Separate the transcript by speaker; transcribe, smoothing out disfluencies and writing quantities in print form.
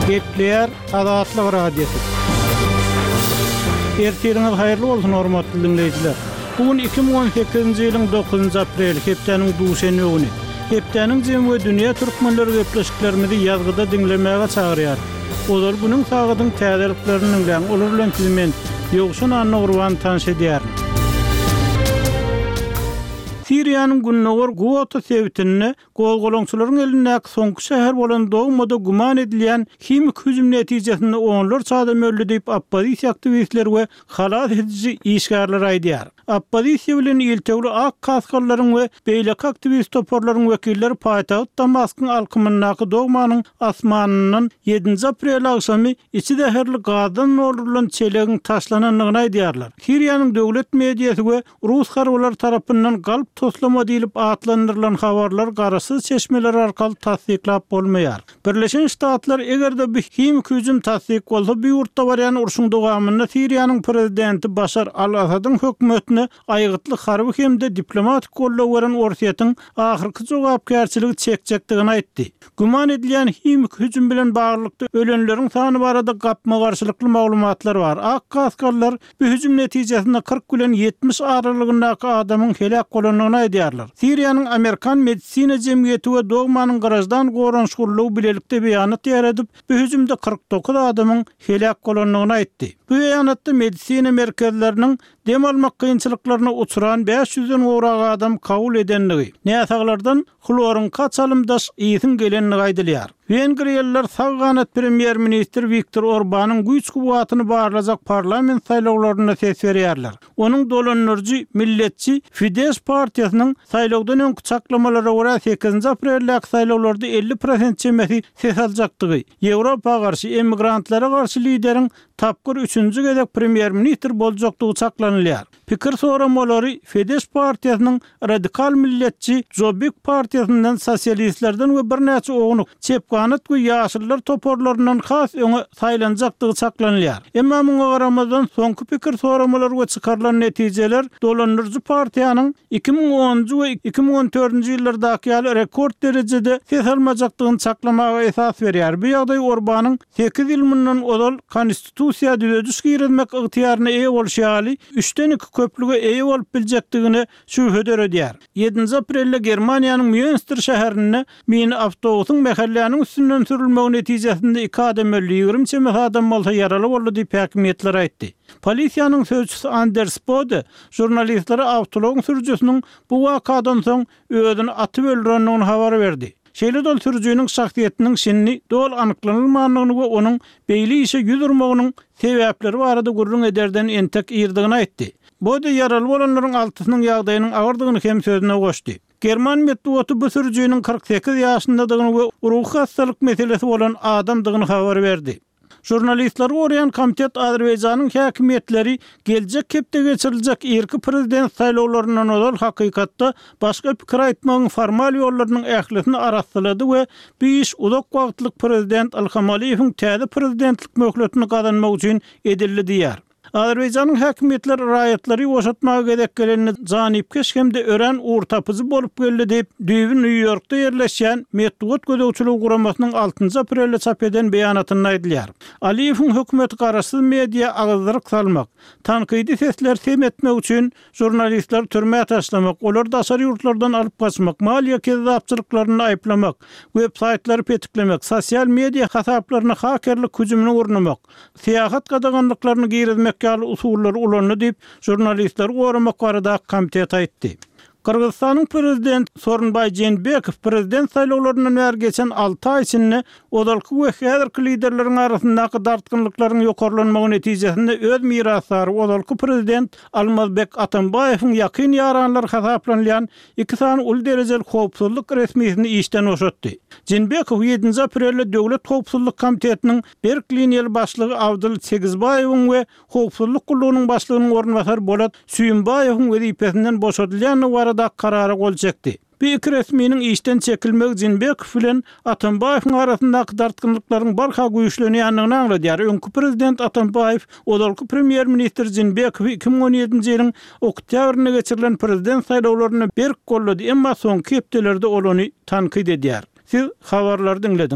Speaker 1: Gepleýär Azatlyk Radiosy. Ertiriňiz haýyrly bolsun, hormatly diňleýjiler! Bu gün 2018-nji ýylyň dokuzynjy apreli, hepdäniň duşenbe güni. Hepdäniň jemi we dünýä türkmenleri gepleşiklerimizi ýazgyda diňlemäge çagyrýar. Ozal günüň sagadyň täzeliklerini diňläň, olar bilen sizi men, Ýowşan Annagurban tanyş edýärin. Siriýanyň gündogar Guota sebitinde gozgalaňçylaryň elindäki soňky şäher bolan Doumada güman edilýän himiki hüjüm netijesinde onlarça adam öldi diýip, oppozisiýa aktiwistleri we halas ediji işgärler aýdýar. Oppozisiýa bilen iltewli ak kaskalylaryň we beýleki aktiwist toparlaryň wekilleri paýtagt Damaskyň alkymyndaky Dogmanyň asmanyndan ýedinji aprel agşamy içi zäherli gazdan doldurylan çelegiň taşlanandygyny aýdýarlar. Siriýanyň döwlet mediasy we rus harbylary tarapyndan galp toslama diýlip atlandyrylan habarlar garaşsyz çeşmeler arkaly tassyklap bolmaýar. Birleşen Ştatlar eger-de bu himiki hüjüm tassyk bolsa, bu ýurtda barýan urşuň dowamynda Siriýanyň prezidenti Başar al-Asadyň hökümetine aýgytly harby hem-de diplomatik goldaw beren Orsýetiň ahyrky jogapkärçiligi çekjekdigini aýtdy. Güman edilýän himiki hüjüm bilen baglylykda ölenleriň sany barada gapma-garşylykly maglumatlar bar. Ak kaskalylar Bu hüjüm netijesinde 40 bilen 70 aralygyndaky adamyň heläk bolandygyny aýdýarlar. Siriýanyň Amerikan medisina jemgyýeti we Dogmanyň graždan goranyş gullugy bilelikde beýanat ýaýradyp, bu hüjümde 49 adamyň heläk bolandygyny aýtdy. Bu beýanatda medisina merkezleriniň dem almak kynçylyklaryna uçran 500 den gowrak adam kabul edendigi, näsaglardan hloryňka çalymdaş ysyň gelendigi aýdylýar. Wengriýalylar sag ganat premýer-ministr Wiktor Orbanyň güýç-kuwwatyny barlajak parlament saýlawlarynda ses berýärler. Onuň dolandyryjy milletçi Fidesz partiýasynyň saýlawdan öňki çaklamalara görä sekizinji apreldäki saýlawlarda 50 prosent çemesi ses aljakdygy, Ýewropa garşy, emigrantlara garşy lideriň tapgyr üçünji gezek premýer-ministr boljakdygy çaklanylýar. Pikir soramalary Fidesz partiýasynyň radikal milletçi Jobbik partiýasyndan, sosialistlerden we birnäçe ownuk çep ganat we ýaşyllar toparlaryndan has öňe saýlanjakdygy çaklanylýar. Emma muňa garamazdan, soňky pikir soramalar we çykarylan netijeler dolandyryjy partiýanyň 2010-njy we 2014-nji ýyllardaky ýaly rekord derejede ses almajakdygyny çaklamaga esas berýär. Bu ýagdaý Orbanyň sekiz ýyl mundan ozal Konstitusiýa düzediş girizmek ygtyýaryna eýe bolşy ýaly, üçden iki köplüge eýe bolup biljekdigine şübhe döredýär. Ýedinji aprelde Germaniýanyň Mýunster şäherinde mini awtobusyň mähelläniň üstünden sürülmegi netijesinde iki adam öldi, 20 çemesi adam bolsa ýaraly boldy diýip, häkimiýetler aýtdy. Polisiýanyň sözçüsi Anders Bode žurnalistlere awtoulagyň sürüjisiniň bu wakadan soň özüni atyp öldürendigini habar berdi. Şeýle-de ol sürüjiniň şahsyýetiniň şindi doly anyklanylmandygyny we onuň beýle işe ýüz urmagynyň sebäpleri barada gürrüň ederden entek irdigini aýtdy. Bode ýaraly bolanlaryň altysynyň ýagdaýynyň agyrdygyny hem sözüne goşdy. German metbugaty bu sürüjiniň 48 ýaşyndadygyny we ruhy hassalyk meselesi bolan adamdygyny habar berdi. Žurnalistleri goraýan komitet Azerbaýjanyň häkimiýetleri geljek hepde geçiriljek irki prezident saýlawlaryndan ozal hakykatda başga pikir aýtmagyň formal ýollarynyň ählisini arassalady we bu iş uzak wagtlyk prezident Ilham Aliýewiň täze prezidentlik möhletini gazanmak üçin edildi diýýär. Azerbaýjanyň häkimiýetleri raýatlary ýuwaşatmaga gezek gelende janypkeş hem-de örän ugurtapyjy bolup geldi diýip, düýbi Nýu-Ýorkda ýerleşýän Metbugat gözegçiligi guramasynyň altynjy aprelde çap eden beýanatynda aýdylýar. Aliýewiň hökümeti garaşsyz media agyzdyryk salmak, tankydy sesleri sem etmek üçin žurnalistleri türmä taşlamak, olary daşary ýurtlardan alyp gaçmak, maliýe kezzapçylyklarynda aýyplamak, web-saýtlary petiklemek, sosial media hasaplaryna hakerlik hüjümini gurnamak, syýahat gadaganlyklaryny girizmek ýaly usullary ulandy diýip, Žurnalistleri goramak baradaky komitet aýtdy. Gyrgyzystanyň prezidenti Sooronbaý Jeenbekow prezident saýlawlaryndan bäri geçen alty aý içinde ozalky we häzirki liderleriň arasyndaky dartgynlyklaryň ýokarlanmagy netijesinde öz mirasdary ozalky prezident Almazbek Atambaýewiň ýakyn ýaranlary hasaplanylýan iki sany uly derejeli howpsuzlyk resmisini işden boşatdy. Jeenbekow ýedinji aprelde Döwlet howpsuzlyk komitetiniň berk liniýaly başlygy Abdyl Segizbaýewiň we Howpsuzlyk gullugynyň başlygynyň orunbasary Bolat Süýümbaýewiň wezipesinden boşadylýandygy baradaky karara gol çekdi. Bu iki resminiň işden çekilmegi Jeenbekow bilen Atambaýewiň arasyndaky dartgynlyklaryň barha güýçlenýändigini aňladýar. Öňki prezident Atambaýew ozalky premýer-ministr Jeenbekowy 2017-nji ýylyň oktýabrynda geçirilen prezident saýlawlarynda berk goldady, emma soňky hepdelerde ol ony tankyt edýär. Siz habarlary diňlediňiz.